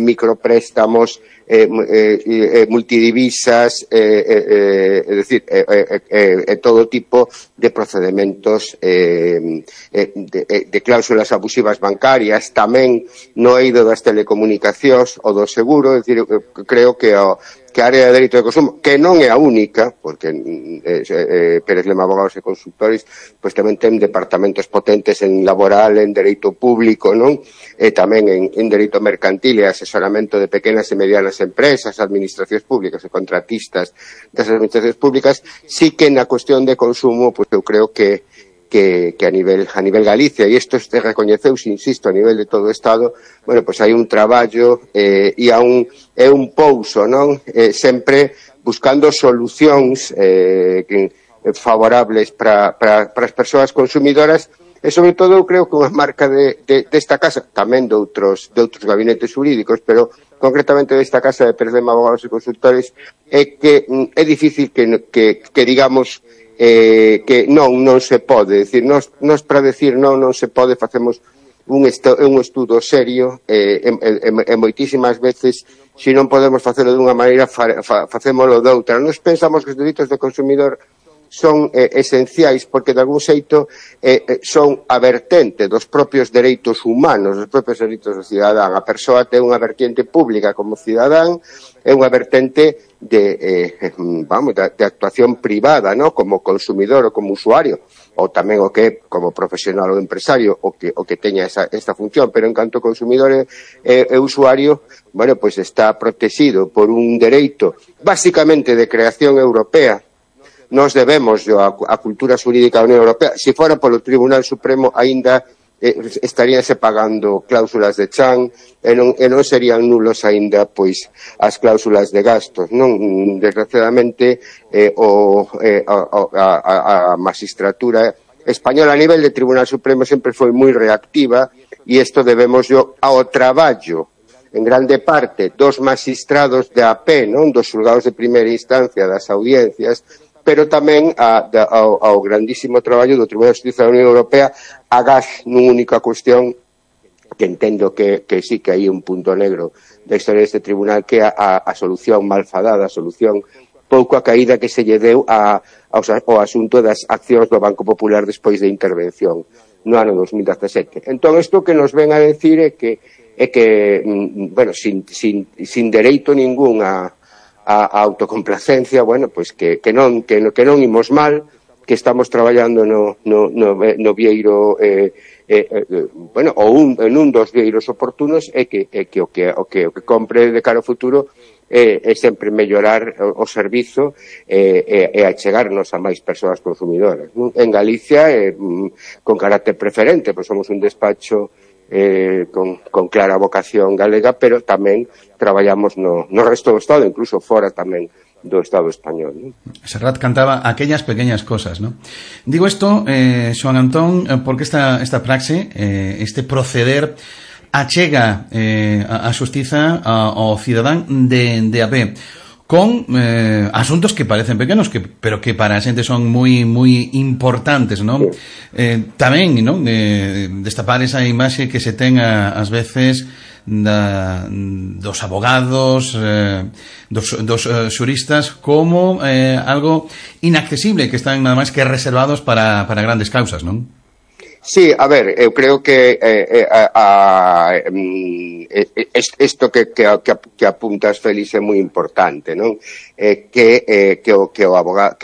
micropréstamos, multidivisas, é dicir, todo tipo de procedementos de cláusulas abusivas bancarias, tamén no eido das telecomunicacións ou do seguro. É dicir, creo que a área de dereito de consumo, que non é a única, porque Pérez Lema Abogados e Consultores pois tamén ten departamentos potentes en laboral, en dereito público, non? E tamén en dereito mercantil e asesoramento de pequenas e medianas empresas, administracións públicas e contratistas das administracións públicas. Sí que na cuestión de consumo, pois eu creo que a nivel Galicia, e isto se recoñeceuse, insisto, a nivel de todo o Estado, bueno, pois hai un traballo e un pouso, non? Sempre buscando solucións favorables para as persoas consumidoras, e sobre todo eu creo que unha marca desta casa, tamén de outros gabinetes jurídicos, pero concretamente desta casa de Pérez Lema Abogados e Consultores, é que é difícil que digamos que non se pode, decir, nos para decir non se pode facemos un estudo serio, e moitísimas veces, se non podemos facelo dunha maneira, facémolo doutra. Nos pensamos que os dereitos do consumidor son esenciais porque de algún xeito son a vertente dos propios dereitos humanos, dos propios dereitos do cidadán. A persoa ten unha vertente pública como cidadán e unha vertente de actuación privada, ¿no? Como consumidor ou como usuario, ou tamén o que como profesional ou empresario o que teña esta función, pero en canto consumidor e usuario, bueno, pues está protegido por un dereito basicamente de creación europea. Nos debemos a cultura xurídica da Unión Europea. Se fora polo Tribunal Supremo aínda estaríanse pagando cláusulas de chan e non serían nulos aínda pois as cláusulas de gastos, non? Desgraciadamente a magistratura española a nivel de Tribunal Supremo sempre foi moi reactiva e isto debemos ao traballo en grande parte dos magistrados de AP, non? Dos xulgados de primeira instancia, das audiencias, pero tamén ao grandísimo traballo do Tribunal de Xustiza da Unión Europea, agás nunha única cuestión que entendo que sí que hai un punto negro da historia deste tribunal, que é a solución malfadada, a solución pouco acaída que se lle deu ao asunto das accións do Banco Popular despois de intervención no ano 2017. Entón, isto que nos ven a decir é que bueno, sin dereito ningún a autocomplacencia, bueno, pois que non imos mal, que estamos traballando no vieiro, bueno, en un dos vieiros oportunos, e que o que compre de cara ao futuro é sempre mellorar o servizo e achegarnos a máis persoas consumidoras. En Galicia, con carácter preferente, pois somos un despacho con clara vocación galega, pero tamén traballamos no resto do Estado, incluso fora tamén do Estado español, ¿no? Serrat cantaba aquellas pequeñas cosas, ¿no? Digo esto, Xoán Antón, porque esta praxe, este proceder achega a xustiza ao cidadán de a pé, con asuntos que parecen pequenos, pero que para a xente son moi importantes, non? Tamén, non? Destapar esa imaxe que se ten ás veces dos abogados, dos xuristas, como algo inaccesible, que están nada máis que reservados para grandes causas, non? Sí, a ver, eu creo que isto que apuntas, Félix, é moi importante, non? Que os abogados,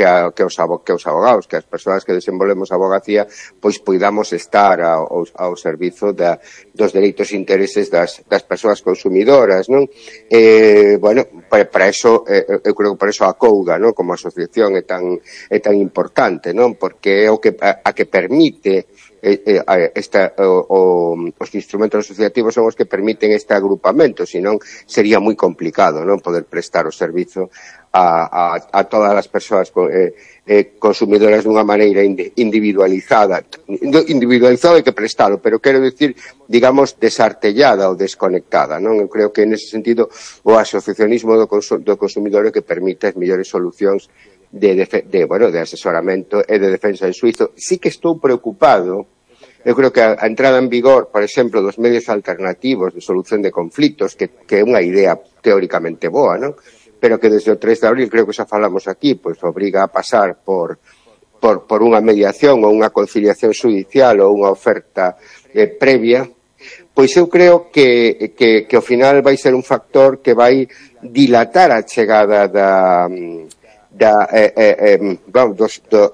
que as persoas que desenvolvemos a abogacía, pois poidamos estar ao servizo dos dereitos e intereses das persoas consumidoras, non? Bueno, para eso, eu creo que por eso a Couga, non? Como asociación é tan importante, non? Porque é o que permite os instrumentos asociativos son os que permiten este agrupamento, senón sería moi complicado, non, poder prestar o servizo a todas as persoas consumidoras dunha maneira individualizada e que prestalo, pero quero dicir, digamos, desartellada ou desconectada, non? Eu creo que nese sentido o asociacionismo do consumidor é que permite as mellores solucións de asesoramento e de defensa en suizo. Sí que estou preocupado. Eu creo que a entrada en vigor, por exemplo, dos medios alternativos de solución de conflitos, que é unha idea teóricamente boa, non? Pero que desde o 3 de abril, creo que xa falamos aquí, pois obriga a pasar por unha mediación ou unha conciliación judicial ou unha oferta previa, pois eu creo que ao final vai ser un factor que vai dilatar a chegada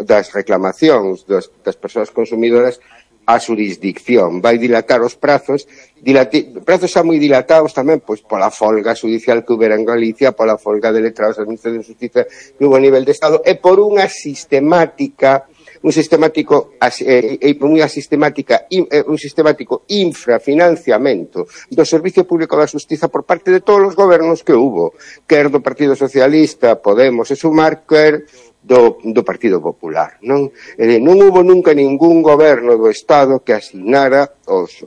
das reclamacións das persoas consumidoras a xurisdicción, vai dilatar os prazos xa moi dilatados tamén pois pola folga judicial que houbera en Galicia, pola folga de letrados da Administración de Xustiza que hubo a nivel de Estado, e por un sistemático infrafinanciamento do Servicio Público da Xustiza por parte de todos os gobernos que hubo, quer do Partido Socialista, Podemos e Sumar, quer do Partido Popular, non? Non hubo nunca ningún goberno do Estado que asignara os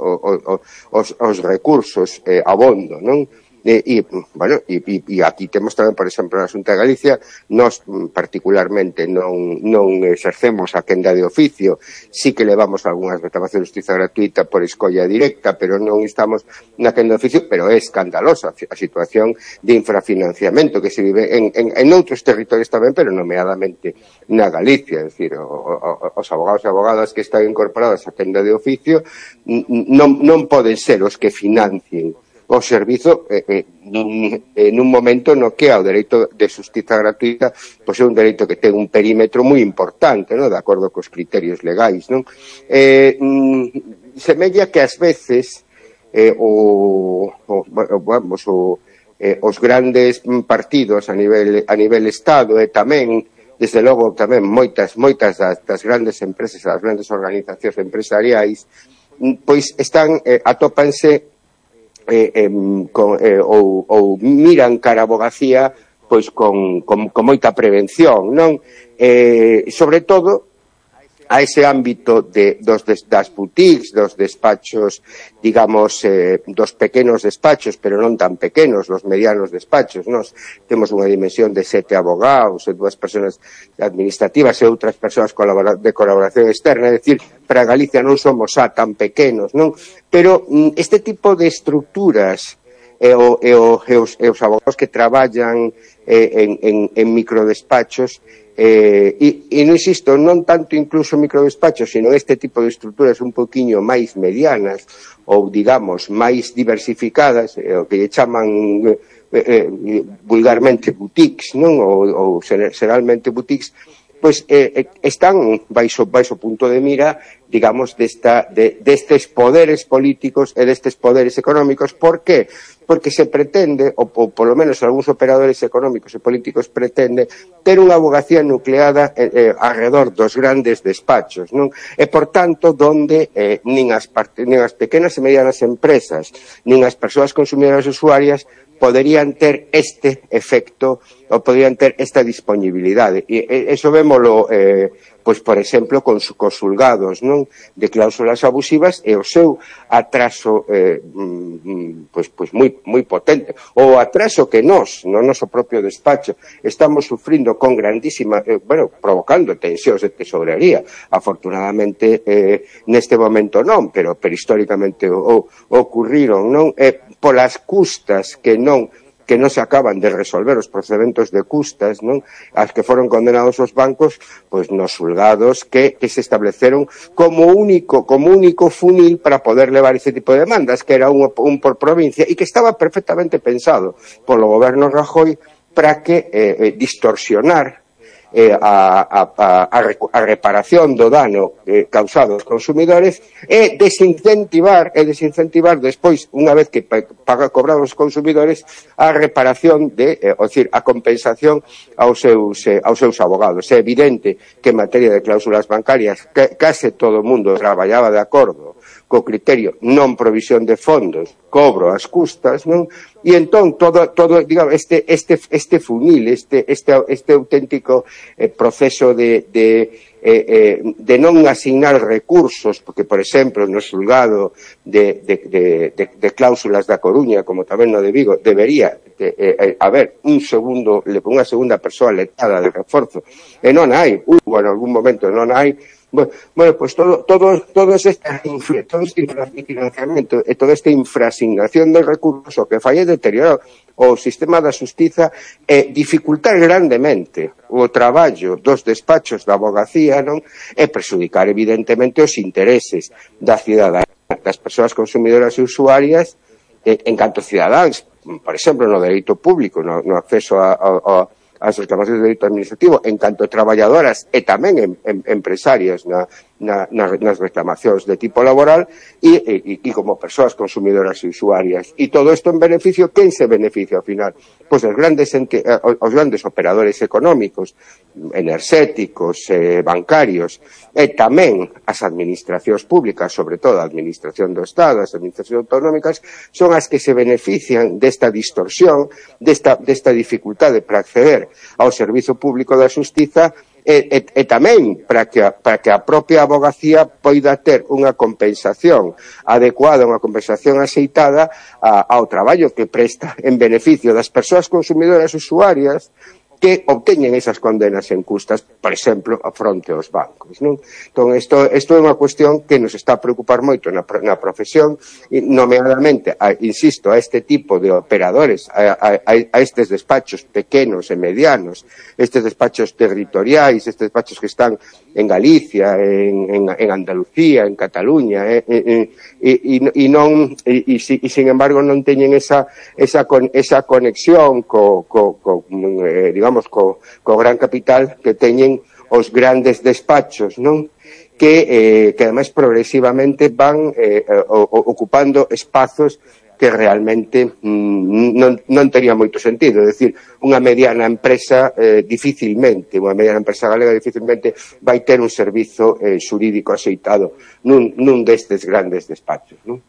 recursos abondo, non? bueno, e aquí temos tamén, por exemplo, na Xunta de Galicia, nós particularmente non exercemos a quenda de oficio, sí que levamos algunhas reclamacións de justiza gratuita por escolla directa, pero non estamos na quenda de oficio, pero é escandalosa a situación de infrafinanciamento que se vive en outros territorios tamén, pero nomeadamente na Galicia, é dicir, os abogados e abogadas que están incorporados á quenda de oficio non poden ser os que financien o servizo nun momento no que o dereito de xustiza gratuita pois é un dereito que ten un perímetro moi importante, non? De acordo cos criterios legais, non? Semella que ás veces os grandes partidos a nivel Estado e tamén, desde logo, tamén moitas das grandes empresas, das grandes organizacións empresariais, pois atópanse ou miran cara a abogacía pois con moita prevención, non? Sobre todo a ese ámbito das boutiques, dos despachos, digamos, dos pequenos despachos, pero non tan pequenos, dos medianos despachos. Nós temos unha dimensión de 7 abogados, 2 persoas administrativas e outras persoas de colaboración externa, é dicir, para Galicia non somos tan pequenos, non? Pero este tipo de estructuras e os abogados que traballan en microdespachos, e non insisto, non tanto incluso microdespachos, sino este tipo de estruturas un poquinho máis medianas ou, digamos, máis diversificadas, o que lle chaman vulgarmente boutiques, non? Ou xeralmente boutiques, pois están baixo punto de mira, digamos, destes poderes políticos e destes poderes económicos. Por que? Porque se pretende, ou polo menos algúns operadores económicos e políticos pretende, ter unha abogacía nucleada alrededor dos grandes despachos, non? E, por tanto, donde nin as pequenas e medianas empresas, nin as persoas consumidoras usuarias poderían ter este efecto ou poderían ter esta disponibilidade. E eso vémolo, pois, por exemplo, cos xulgados, non? De cláusulas abusivas e o seu atraso pois moi potente. O atraso que nós, no noso propio despacho, estamos sufrindo con grandísima, provocando tensións de tesorería. Afortunadamente, neste momento non, pero históricamente ocurriron, non? Polas custas que non se acaban de resolver, os procedementos de custas, non? As que foron condenados os bancos, pois nos xulgados que se estableceron como único funil para poder levar ese tipo de demandas, que era un por provincia, e que estaba perfectamente pensado polo goberno Rajoy para que distorsionar a reparación do dano causado aos consumidores e desincentivar despois, unha vez que cobraron os consumidores, a reparación a compensación aos seus abogados. É evidente que en materia de cláusulas bancarias case todo o mundo traballaba de acordo co criterio non provisión de fondos, cobro as custas, non? E entón todo digamos, este funil, este auténtico proceso de non asignar recursos, porque, por exemplo, no xulgado de cláusulas da Coruña, como tamén no de Vigo, debería haber unha segunda persoa letrada de reforzo, e non hai, en algún momento non hai. Bueno, pues todo este infrafinanciamento e toda esta infrasignación de recursos o que fai é deteriorar o sistema da xustiza e dificultar grandemente o traballo dos despachos da abogacía, non? E prexudicar evidentemente os intereses da cidadanía, das persoas consumidoras e usuarias en canto cidadáns, por exemplo, no dereito público, no acceso as reclamacións de dereito administrativo, en canto traballadoras e tamén empresarias nas reclamacións de tipo laboral e como persoas consumidoras e usuarias. E todo isto en beneficio, quen se beneficia ao final? Pois os grandes operadores económicos, enerxéticos, bancarios, e tamén as administracións públicas, sobre todo a administración do Estado, as administracións autonómicas, son as que se benefician desta distorsión, desta dificultade para acceder ao servizo público da xustiza, e tamén para que a propia abogacía poida ter unha compensación adecuada, unha compensación axeitada ao traballo que presta en beneficio das persoas consumidoras usuarias que obteñen esas condenas injustas, por exemplo, fronte aos bancos, non? Entón, isto é unha cuestión que nos está a preocupar moito na profesión, nomeadamente, insisto, a este tipo de operadores, a estes despachos pequenos e medianos, estes despachos territoriais, estes despachos que están en Galicia, en Andalucía, en Cataluña, e sin embargo non teñen esa conexión digamos, co gran capital que teñen os grandes despachos, non? Que ademais progresivamente van ocupando espazos que realmente non tería moito sentido. É dicir, unha mediana empresa unha mediana empresa galega dificilmente vai ter un servizo xurídico axeitado nun destes grandes despachos, non?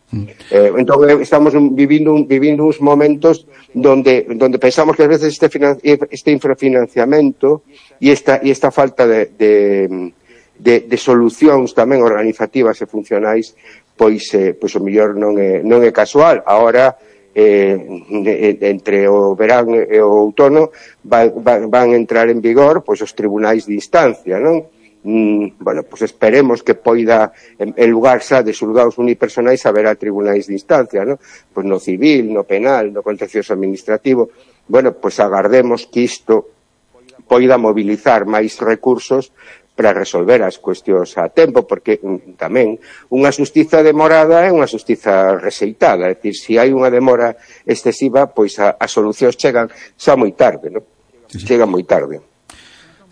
Entón, estamos vivindo uns momentos donde pensamos que a veces este infrafinanciamento e esta falta de solucións tamén organizativas e funcionais pois o mellor non é casual. Agora, entre o verán e o outono van entrar en vigor pois os tribunais de instancia, non? Bueno, pois esperemos que poida, en lugar xa de xulgados unipersonais, haberá tribunais de instancia, non? Pois no civil, no penal, no contencioso administrativo. Bueno, pois agardemos que isto poida mobilizar máis recursos para resolver as cuestións a tempo, porque tamén unha xustiza demorada é unha xustiza rexeitada, é dicir, se hai unha demora excesiva, pois as solucións chegan xa moi tarde, non? Chegan moi tarde.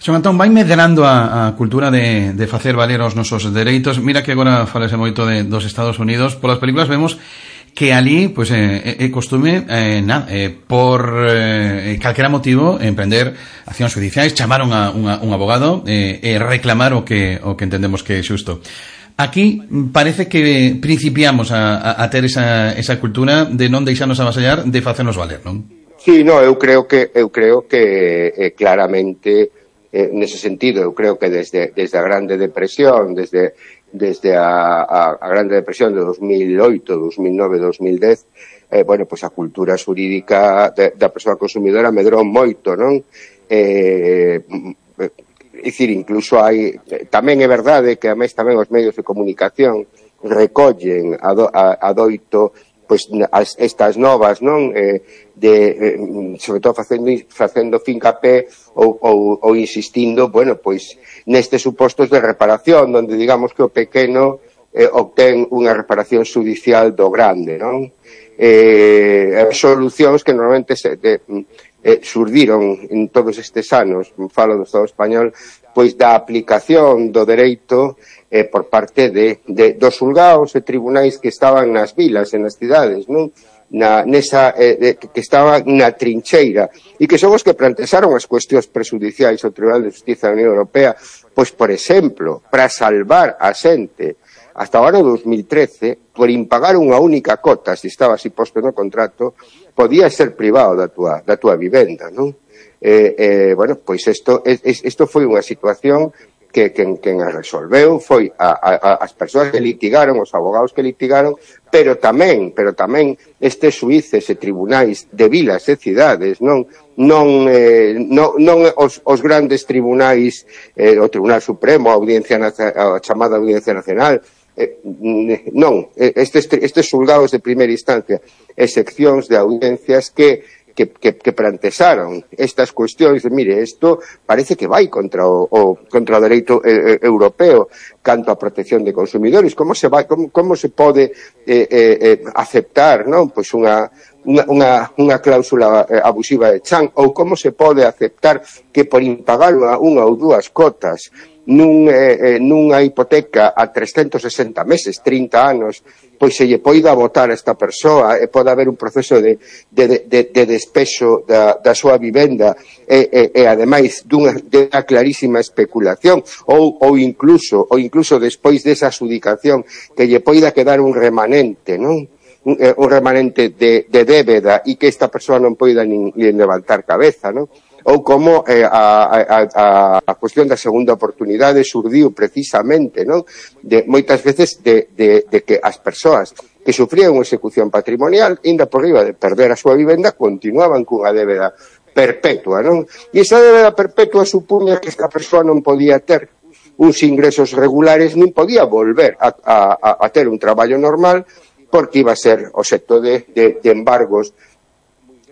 Xon Antón, vai medrando a cultura de facer valer os nosos dereitos. Mira que agora falase moito dos Estados Unidos. Polas películas vemos que ali, pois, é costume por calquera motivo emprender accións judiciais, chamaron a un abogado e reclamar o que entendemos que é xusto. Aquí parece que principiamos a ter esa cultura de non deixarnos avasallar, de facernos valer, non? Sí, eu creo que claramente nese sentido, eu creo que desde a Grande Depresión, desde a Grande Depresión de 2008, 2009, 2010, bueno, pois a cultura xurídica da persoa consumidora medrou moito, non? É dicir, incluso hai, tamén é verdade que ademais tamén os medios de comunicación recollen adoito pois estas novas, non? Sobre todo facendo fincapé ou insistindo, bueno, pois nestes supostos de reparación, onde digamos que o pequeno obtén unha reparación xudicial do grande, non? Solucións que normalmente surdiron en todos estes anos, falo do Estado español, pois da aplicación do dereito por parte dos xulgados e tribunais que estaban nas vilas e nas cidades, non? Que estaban na trincheira e que son os que plantearon as cuestións prexudiciais ao Tribunal de Justiza da Unión Europea, pois, por exemplo, para salvar a xente hasta o ano 2013, por impagar unha única cota, se estaba así posto no contrato, podía ser privado da túa vivenda, non? Bueno, pois isto foi unha situación que quen a resolveu foi as persoas que litigaron, os abogados que litigaron, pero tamén estes xuíces e tribunais de vilas e cidades, non os grandes tribunais, o Tribunal Supremo, a chamada Audiencia Nacional, non, estes xulgados de primeira instancia e seccións de audiencias que plantearon estas cuestións de, mire, isto parece que vai contra o dereito europeo canto a protección de consumidores, como se pode aceptar, non, pois unha cláusula abusiva de chan, ou como se pode aceptar que por impagar unha ou dúas cotas nunha hipoteca a 360 meses, 30 anos, pois se lle poida votar a esta persoa e pode haber un proceso de despexo da súa vivenda e ademais dunha clarísima especulación ou incluso despois desa adjudicación que lle poida quedar un remanente, non? Un remanente de débeda e que esta persoa non poida nin levantar cabeza, non? ou como a cuestión da segunda oportunidade surdiu precisamente, non? Moitas veces de que as persoas que sufrían unha execución patrimonial, inda por riba de perder a súa vivenda, continuaban cunha débeda perpetua, non? E esa débeda perpetua supuña que esta persoa non podía ter uns ingresos regulares, nin podía volver a ter un traballo normal, porque iba a ser obxecto de embargos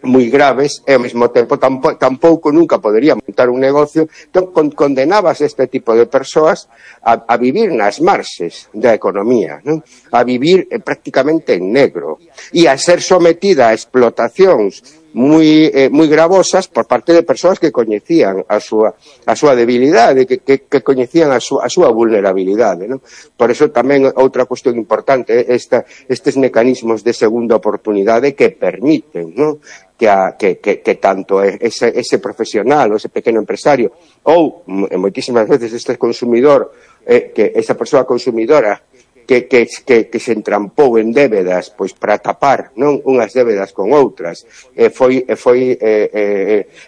moi graves, e ao mesmo tempo tampouco nunca podería montar un negocio. Entón, condenabas este tipo de persoas a vivir nas marxes da economía, non? A vivir prácticamente en negro, e a ser sometida a explotacións moi gravosas por parte de persoas que coñecían a súa debilidade, que coñecían a súa vulnerabilidade, non? Por eso tamén outra cuestión importante, estes mecanismos de segunda oportunidade que permiten, non? Que tanto ese profesional ou ese pequeno empresario ou moitísimas veces este consumidor, que esa persoa consumidora que se entrampou en débedas pois para tapar, non, unhas débedas con outras, foi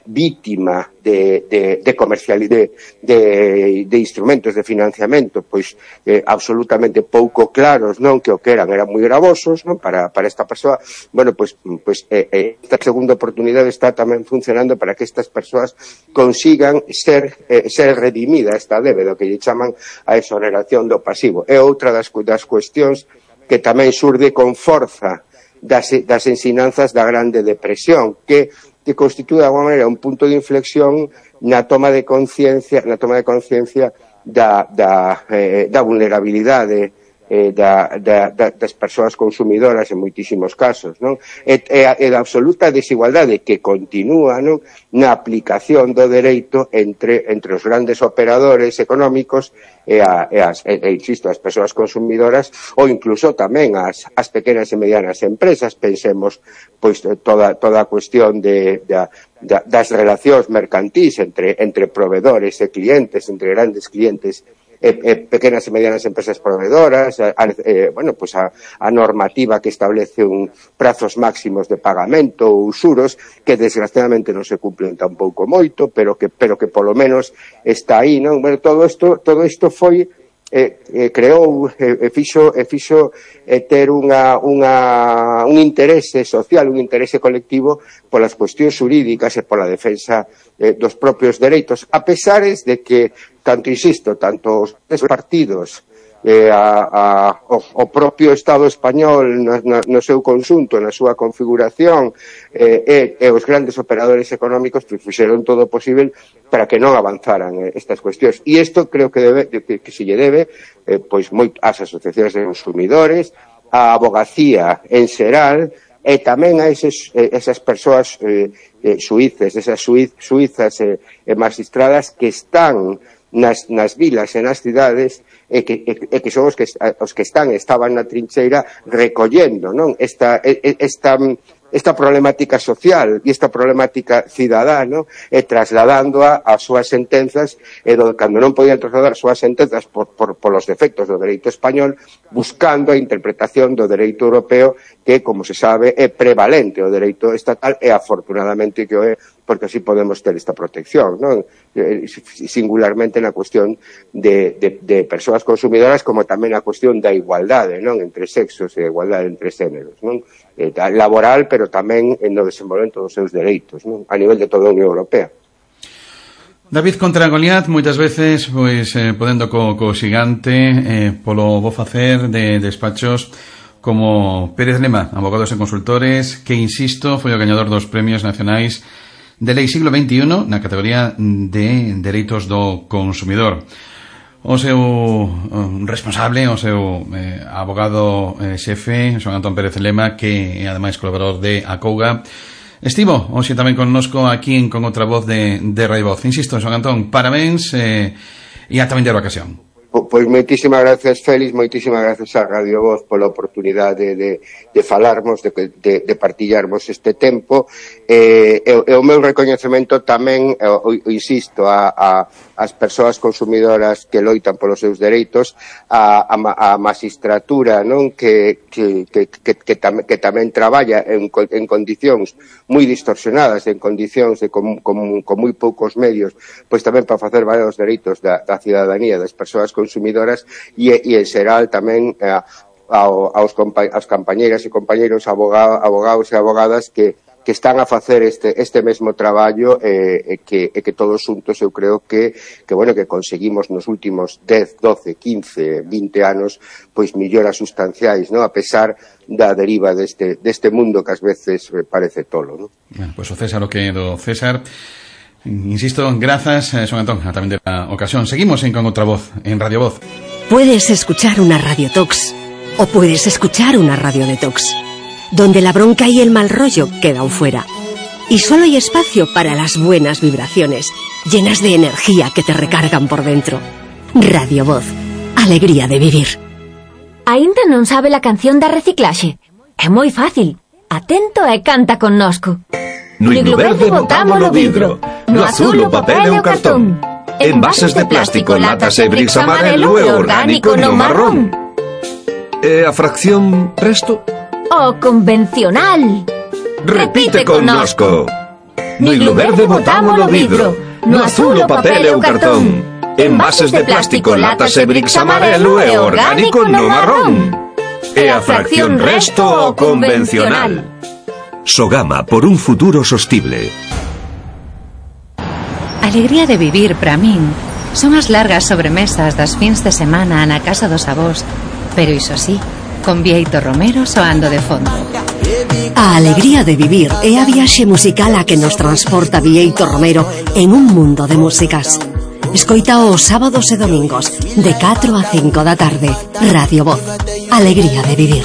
vítima de comercialidade de instrumentos de financiamento pois absolutamente pouco claros, non, que o que eran moi gravosos, non, para esta persoa. Bueno, pois esta segunda oportunidade está tamén funcionando para que estas persoas consigan ser redimida esta débeda, que lle chaman a exoneración do pasivo. É outra das cuestións que tamén xurde con forza das ensinanzas da Grande Depresión, que constitúe de alguma maneira un punto de inflexión na toma de conciencia da vulnerabilidade das persoas consumidoras en moitísimos casos, non? E da absoluta desigualdade que continúa, non, na aplicación do dereito entre os grandes operadores económicos e insisto, as persoas consumidoras, ou incluso tamén as pequenas e medianas empresas. Pensemos pois toda a cuestión das relacións mercantís entre provedores e clientes, entre grandes clientes pequenas e medianas empresas proveedoras, a normativa que establece prazos máximos de pagamento ou usuros que desgraciadamente non se cumplen tampouco moito, pero que polo menos está aí, non? Bueno, todo isto foi creou e fixo ter un interese social, un interese colectivo polas cuestións xurídicas e pola defensa dos propios dereitos, a pesares de que tanto os partidos, o propio Estado español no seu conxunto, na súa configuración, e os grandes operadores económicos fixeron todo o posible para que non avanzaran estas cuestións. E isto creo que se lle debe pois ás asociacións de consumidores, á abogacía en xeral, e tamén a esas persoas suíces, esas suizas e magistradas que están nas vilas e nas cidades e que son os que estaban na trincheira recollendo, non, esta problemática social e esta problemática cidadá, non, e trasladándoa ás súas sentenzas, e cando non podían trasladar as súas sentenzas polos defectos do dereito español, buscando a interpretación do dereito europeo, que, como se sabe, é prevalente o dereito estatal, e afortunadamente que o é, porque así podemos ter esta protección, non? Singularmente na cuestión de persoas consumidoras, como tamén na cuestión da igualdade, non, entre sexos e igualdade entre xéneros, non, laboral, pero tamén no desenvolvemento dos seus dereitos, non, a nivel de toda a Unión Europea. David contra Goliat, moitas veces pois podendo co xigante polo bo facer de despachos como Pérez Lema, Abogados e Consultores, que, insisto, foi o gañador dos premios nacionais de Lei Siglo XXI na categoría de Dereitos do Consumidor. O seu responsable, o seu abogado xefe, Xoán Antón Pérez Lema, que é ademais colaborador de Acouga, estivo hoxe tamén connosco aquí en Con Outra Voz de Radio Voz. Insisto, Xoán Antón, parabéns e ata vender a ocasión. Pois moitísimas gracias, Félix, moitísimas gracias a Radio Voz pola oportunidade de falarmos, de partillarmos este tempo, e o meu recoñecemento tamén, insisto, a as persoas consumidoras que loitan polos seus dereitos, a magistratura, non, que tamén traballa en condicións moi distorsionadas, en condicións con moi poucos medios, pois tamén para facer valer os dereitos da cidadanía, das persoas consumidoras, e en xeral tamén aos compañeiras e compañeiros, abogados e abogadas que están a facer este mesmo traballo, que todos xuntos eu creo que conseguimos nos últimos 10, 12, 15, 20 anos pois melloras sustanciais, non? A pesar da deriva deste mundo que ás veces parece tolo, non? Bueno, pois o César o que do César. Insisto, grazas, son Antón, tamén de la ocasión. Seguimos con outra voz, en Radio Voz. Puedes escuchar una Radio Tox o puedes escuchar una Radio Detox, donde la bronca y el mal rollo quedan fuera. Y solo hay espacio para las buenas vibraciones, llenas de energía que te recargan por dentro. Radio Voz, alegría de vivir. Aínda non sabe la canción da reciclaxe? É moi fácil. Atento e canta connosco. No higlo verde botámolo vidro, no azul o papel e o cartón. Envases de plástico, latas e bricks amarelo e orgánico no marrón. E a fracción resto? O convencional. Repite connosco. No higlo verde botámolo vidro, no azul o papel e o cartón. Envases de plástico, latas e bricks amarelo e orgánico no marrón. E a fracción resto o convencional. Sogama, por un futuro sostible. Alegría de vivir para min son as largas sobremesas das fins de semana na casa dos avós, pero iso sí, con Bieito Romero soando de fondo. A alegría de vivir é a viaxe musical a que nos transporta Bieito Romero en un mundo de músicas. Escoita os sábados e domingos de 4 a 5 da tarde. Radio Voz, alegría de vivir.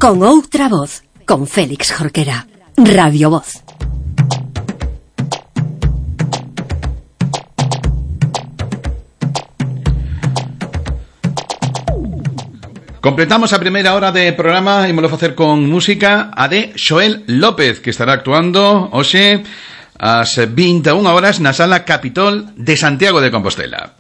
Con outra voz, con Félix Jorquera. Radio Voz. Completamos a primeira hora de programa e vamos a facer con música a de Xoel López, que estará actuando hoxe ás 21 horas na Sala Capitol de Santiago de Compostela.